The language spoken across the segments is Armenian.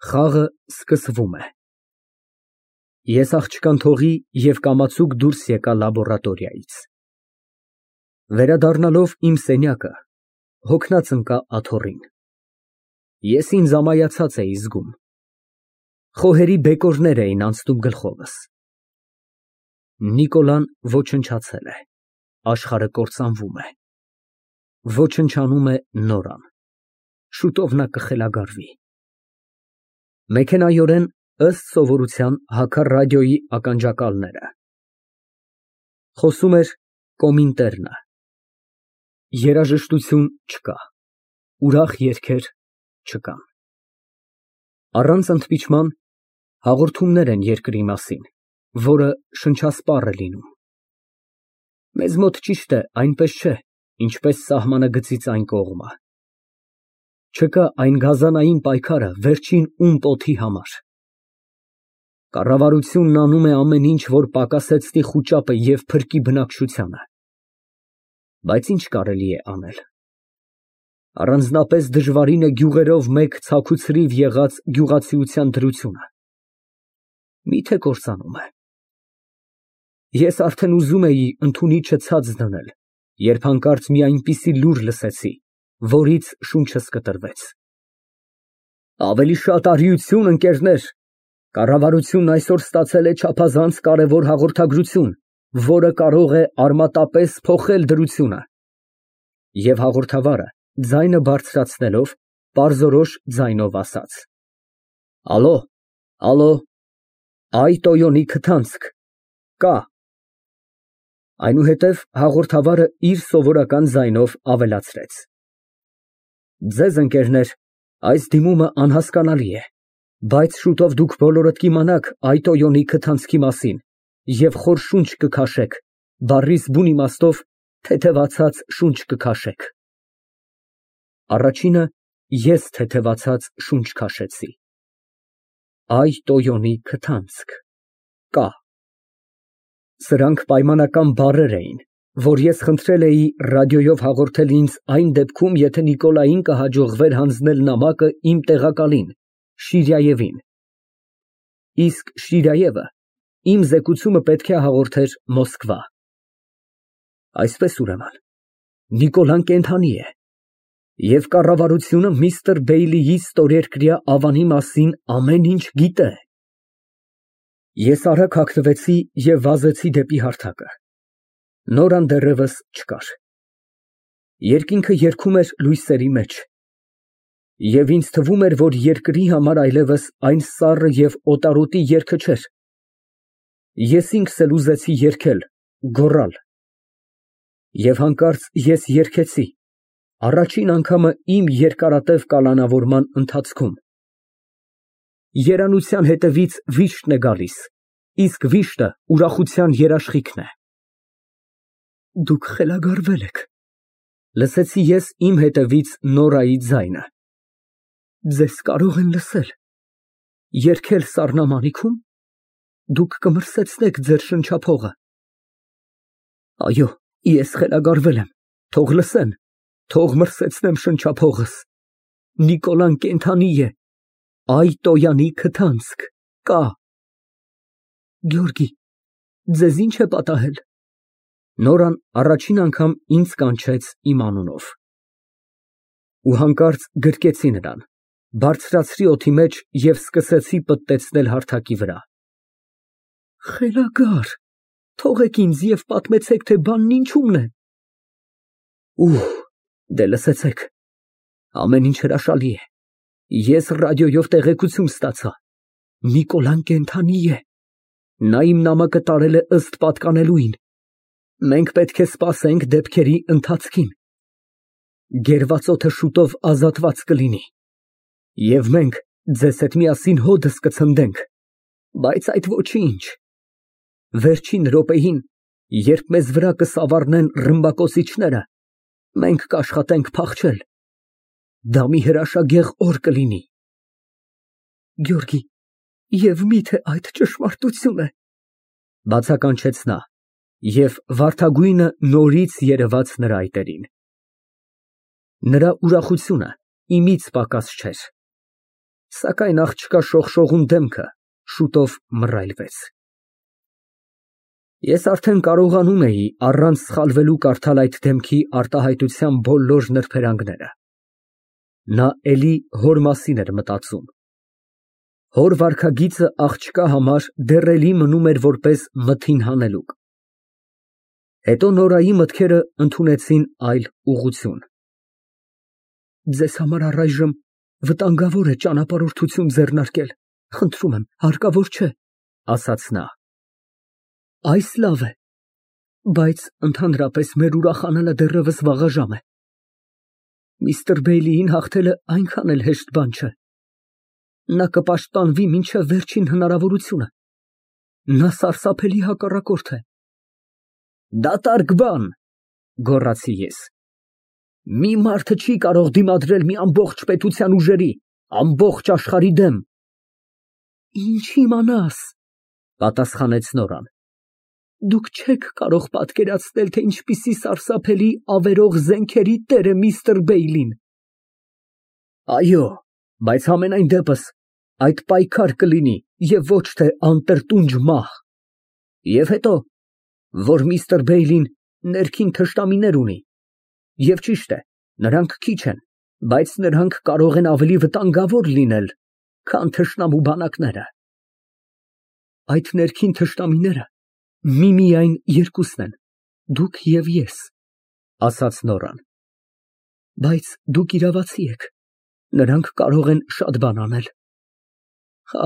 Խաղը սկսվում է։ Ես աղջկան թողի և կամացուկ դուրս եկա լաբորատորիայից։ Վերադառնալով իմ սենյակը, հոգնած ընկա աթոռին։ Ես ինձ ամայացած էի զգում։ Խոհերի բեկորներ էին անցնում գլխովս։ Նիկոլան ոչնչացել է, աշխարհը կործանվում է։ Ոչնչանում է Նորան, շուտով նա կխելագարվի։ Մեքենայորեն, ըստ սովորության, հագա ռադիոյի ականջակալները։ Խոսում էր Կոմինտերնը։ Երաժշտություն չկա, ուրախ երգեր չկան։ Առանց ընդմիջման հաղորդումներ են երկրի մասին, որը շնչասպառ է լինում։ Մեզ մոտ, ճիշտ է, այնպես չէ, ինչպես սահմանը գծից այն կողմը։ Չկա այն գազանային պայքարը վերջին ում պոթի համար։ Կառավարությունն անում է ամեն ինչ, որ պակասեցնի խուճապը և փրկի բնակչությանը։ Բայց ինչ կարելի է անել։ Առանձնապես դժվարին է գյուղերով մեկ ցաքուցրիվ եղած գյուղացիության դրությունը։ Մի՞թե կործանում է։ Ես արդեն ուզում էի ընդունիչը ցած դնել, երբ հանկարծ մի այնպիսի լուր լսեցի, որից շունչս կտրվեց։ Ավելի շատ արիություն, ընկերներ, կառավարությունն այսօր ստացել է չափազանց կարևոր հաղորդագրություն, որը կարող է արմատապես փոխել դրությունը։ Եվ հաղորդավարը, ձայնը բարձրացնելով, պարզորոշ ձայնով ասաց. Ալո, ալո, այ Տոյոնի քթանցք, կա։ Այնուհետև հաղորդավարը իր սովորական ձայնով ավելացրեց. Ձեզ, ընկերներ, այս դիմումը անհասկանալի է, բայց շուտով դուք բոլորդ կիմանաք այ Տոյոնի քթանցքի մասին և խոր շունչ կքաշեք, բառիս բուն իմաստով թեթևացած շունչ կքաշեք։ Առաջինը ես թեթևացած շունչ քաշեցի։ Այ Տոյոնի քթանցք, կա։ Սրանք պայմանական բառեր էին, որ ես խնդրել էի ռադիոյով հաղորդել ինձ այն դեպքում, եթե Նիկոլային կհաջողվեր հանձնել նամակը իմ տեղակալին, Շիրայևին։ Իսկ Շիրայևը իմ զեկուցումը պետք է հաղորդեր Մոսկվա։ Այսպես, ուրեմն, Նիկոլան կենդանի է, և կառավարությունը միստր Բեյլիի ստորերկրյա ավանի մասին ամեն ինչ գիտե։ Ես արագ հագնվեցի և վազեցի դեպի հարթակը։ Նորան դեռևս չկար։ Երկինքը երգում էր լույսերի մեջ, և ինձ թվում էր, որ երկրի համար այլևս այն սառը և օտարոտի երգը չէր։ Ես ինքս էլ ուզեցի երգել, գոռալ։ Եվ հանկարծ ես երգեցի, առաջին անգամը իմ երկարատև կալանավորման ընթացքում։ Երանության հետևից վիշտն է գալիս, իսկ վիշտը ուրախության երաշխիքն է։ Դուք խելագարվել եք, լսեցի ես իմ հետևից Նորայի ձայնը։ Ձեզ կարող են լսել։ Երգել սառնամանիքում, դուք կմրսեցնեք ձեր շնչափողը։ Այո, ես խելագարվել եմ, թող լսեն, թող մրսեցնեմ շնչափողս։ Նիկոլան կենդանի է, այ Տոյանի քթանցք, կա։ Գեորգի, ձեզ ինչ է պատահել։ Նորան առաջին անգամ ինձ կանչեց իմ անունով։ Ու հանկարծ գրկեցի նրան, բարձրացրի օդի մեջ և սկսեցի պտտեցնել հարթակի վրա։ Խելագար, թողեք ինձ և պատմեցեք, թե բանն ինչումն է։ Դե լսեցեք, ամեն ինչ հրաշալի է։ Ես ռադիոյով տեղեկություն ստացա։ Նիկոլան կենդանի է։ Նա իմ նամակը տարել է ըստ պատկանելույն։ Մենք պետք է սպասենք դեպքերի ընթացքին։ Գերված օդը շուտով ազատված կլինի։ Եվ մենք ձեզ հետ միասին հոդս կցնդենք, բայց այդ ոչինչ։ Վերջին րոպեին, երբ մեզ վրա կսավառնեն ռմբակոծիչները, մենք կաշխատենք փախչել։ Դա մի հրաշագեղ օր կլինի։ Գեորգի, և միթե այդ ճշմարտություն է։ Բացականչեց նա, և վարդագույնը նորից երևաց նրա այտերին։ Նրա ուրախությունը իմից պակաս չէր։ Սակայն աղջկա շողշողուն դեմքը շուտով մռայլվեց։ Ես արդեն կարողանում էի առանց սխալվելու կարդալ այդ դեմքի արտահայտության բոլոր նրբերանգները։ Նա էլի հոր մասին էր մտածում։ Հոր վարքագիծը աղջկա համար դեռ էլի մնում էր որպես մթին հանելուկ։ Հետո Նորայի մտքերը ընդունեցին այլ ուղղություն։ Ձեզ համար առայժմ վտանգավոր է ճանապարհորդություն ձեռնարկել, խնդրում եմ, հարկավոր չէ, ասաց նա։ Այս լավ է, բայց ընդհանրապես մեր ուրախանալը դեռևս վաղաժամ է։ Միստր Բեյլիին հաղթելը այնքան էլ հեշտ բան չէ։ Նա կպաշտպանվի մինչև վերջին հնարավորությունը։ Նա սարսափելի հակառակորդ է։ Դատարկ բան, գոռացի ես։ Մի մարդը չի կարող դիմադրել մի ամբողջ պետության ուժերի, ամբողջ աշխարհի դեմ։ Ինչ իմանաս, պատասխանեց Նորան։ Դուք չեք կարող պատկերացնել, թե ինչպիսի սարսափելի ավերող զենքերի տեր է միստր Բեյլին։ Այո, բայց համենայն դեպս այդ պայքար կլինի եւ ոչ թե անտրտունջ մահ։ Եվ հետո, որ միստր Բեյլին ներքին թշնամիներ ունի, եւ ճիշտ է, նրանք քիչ են, բայց նրանք կարող են ավելի վտանգավոր լինել, քան թշնամու բանակները։ Այդ ներքին թշնամիները միմիայն երկուսն են, դուք եւ ես, ասաց Նորան։ Բայց դուք իրավացի եք, նրանք կարող են շատ բան անել։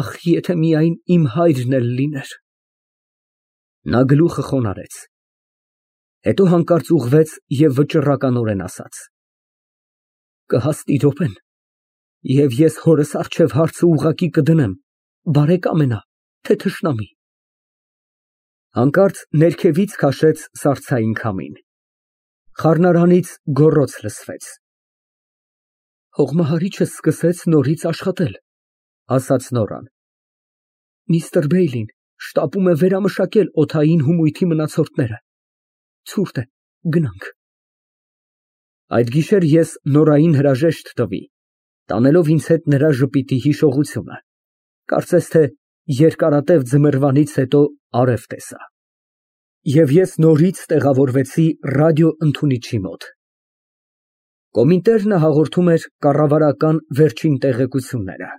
Ախ, եթե միայն իմ հայրն էլ լիներ։ Նա գլուխը խոնարհեց։ Հետո հանկարծ ուղղվեց եւ վճռականորեն ասաց. Կհասնի րոպեն, եւ ես հորս առջև հարցը ուղղակի կդնեմ, բարեկամ է նա, թե թշնամի։ Հանկարծ ներքևից քաշեց սառցային քամին։ Խառնարանից գոռոց լսվեց։ Հողմահարիչը սկսեց նորից աշխատել, ասաց Նորան։ Միստր Բեյլին շտապում է վերամշակել օդային հումույթի մնացորդները։ Ցուրտ է, գնանք։ Այդ գիշեր ես Նորային հրաժեշտ տվի, տանելով ինձ հետ նրա ժպիտի հիշողությունը։ Կարծես թե երկարատև ձմեռվանից հետո արև տեսա։ Եվ ես նորից տեղավորվեցի ռադիոընդունիչի մոտ։ Կոմինտերնը հաղորդում էր կառավարական վերջին տեղեկությունները։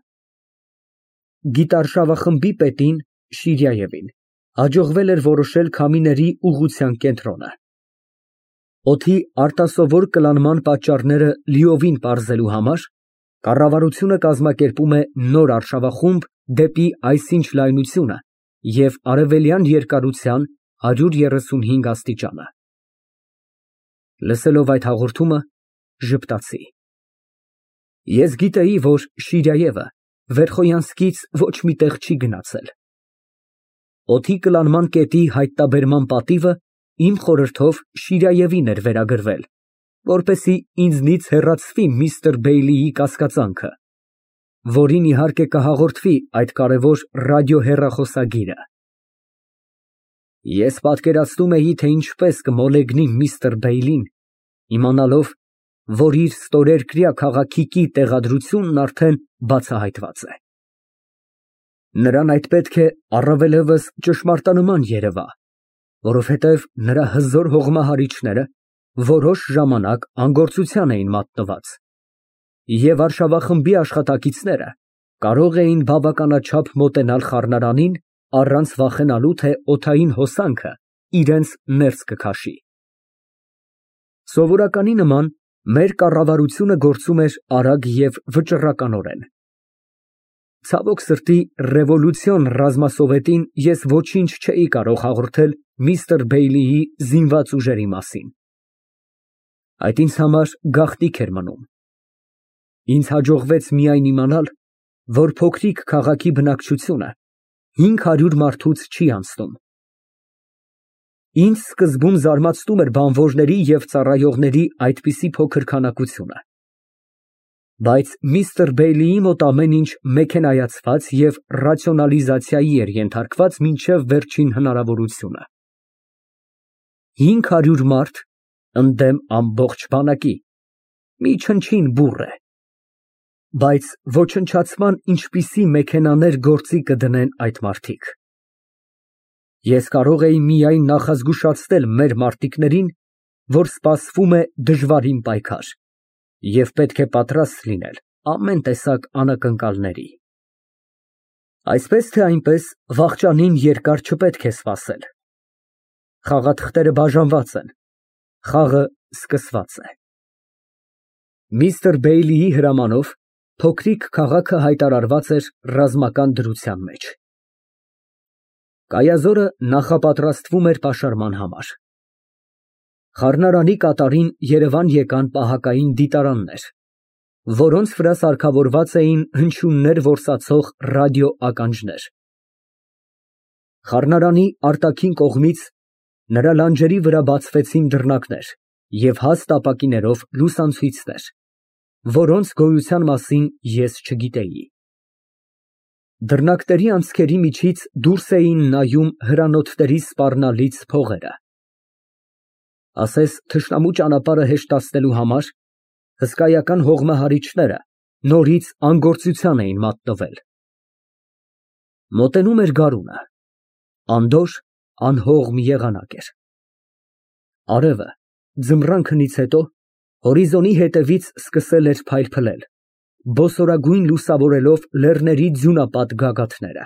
Գիտարշավախմբի պետին Շիրիայևին հաջողվել էր որոշել քամիների ուղղության կենտրոնը։ Օդի արտասովոր կլանման պատճառները լիովին պարզելու համար կառավարությունը կազմակերպում է նոր արշավախումբ դեպի այսինչ լայնությունը և արևելյան երկարության 135 աստիճանը։ Լսելով այդ հաղորդումը, ժպտացի։ Ես գիտեի, որ Շիրիայևը Վերխոյանսկից ոչ մի տեղ չի գնացել։ Օդի կլանման կետի հայտնաբերման պատիվը իմ խորհրդով Շիրիայևին էր վերագրվել, որպեսզի ինձնից հեռացվի միստր Բեյլիի կասկածանքը, որին իհարկե կհաղորդվի այդ կարևոր ռադիոհեռախոսագիրը։ Ես պատկերացնում էի, թե ինչպես կմոլեգնի միստր Բեյլին, իմանալով, որ իր ստորերկրյա քաղաքիկի տեղադրությունն արդեն բացահայտված է։ Նրան այդ պետք է առավելևս ճշմարտանման երևա, որովհետև նրա հզոր հողմահարիչները որոշ ժամանակ անգործության էին մատնված, և արշավախմբի աշխատակիցները կարող էին բավականաչափ մոտենալ խառնարանին առանց վախենալու, թե օդային հոսանքը իրենց ներս կքաշի։ Սովորականի նման մեր կառավարությունը գործում էր արագ և վճռականորեն։ Ցավոք սրտի, ռևոլյուցիոն ռազմասովետին ես ոչինչ չէի կարող հաղորդել միստր Բեյլիի զինված ուժերի մասին։ Այդ ինձ համար գաղտնիք էր մնում։ Ինձ հաջողվեց միայն իմանալ, որ փոքրիկ քաղաքի բնակչությունը 500 մարդուց չի անցնում։ Ինձ սկզբում զարմացնում էր բանվորների և ծառայողների այդպիսի փոքր քանակությունը։ Բայց միստր Բեյլիի մոտ ամեն ինչ մեքենայացված և ռացիոնալիզացիայի էր ենթարկված մինչև վերջին հնարավորությունը։ 500 մարդ ընդդեմ ամբողջ բանակի, մի չնչին բուռ է։ Բայց ոչնչացման ինչպիսի մեքենաներ գործի կդնեն այդ մարդիկ։ Ես կարող էի միայն նախազգուշացնել մեր մարտիկներին, որ սպասվում է դժվարին պայքար, և պետք է պատրաստ լինել ամեն տեսակ անակնկալների։ Այսպես թե այնպես, վախճանին երկար չպետք է սպասել։ Խաղաթղթերը բաժանված են, խաղը սկսված է։ Միստր Բեյլիի հրամանով փոքրիկ քաղաքը հայտարարված էր ռազմական դրության մեջ։ Կայազորը նախապատրաստվում էր պաշարման համար։ Խառնարանի կատարին Երևան եկան պահակային դիտարաններ, որոնց վրա սարքավորված էին հնչյուններ որսացող ռադիոականջներ։ Խառնարանի արտաքին կողմից նրա լանջերի վրա բացվեցին դռնակներ և հաստ ապակիներով լուսացույցներ, որոնց գոյության մասին ես չգիտեի։ Դռնակների անցքերի միջից դուրս էին նայում հրանոթների սպառնալից փողերը։ Ասես թշնամու ճանապարհը հեշտացնելու համար հսկայական հողմահարիչները նորից անգործության էին մատնվել։ Մոտենում էր գարունը, անդորր, անհողմ եղանակ էր։ Արևը ձմռան քնից հետո հորիզոնի հետևից սկսել էր փայլփլել, բոսորագույն լուսավորելով լեռների ձյունապատ գագաթները։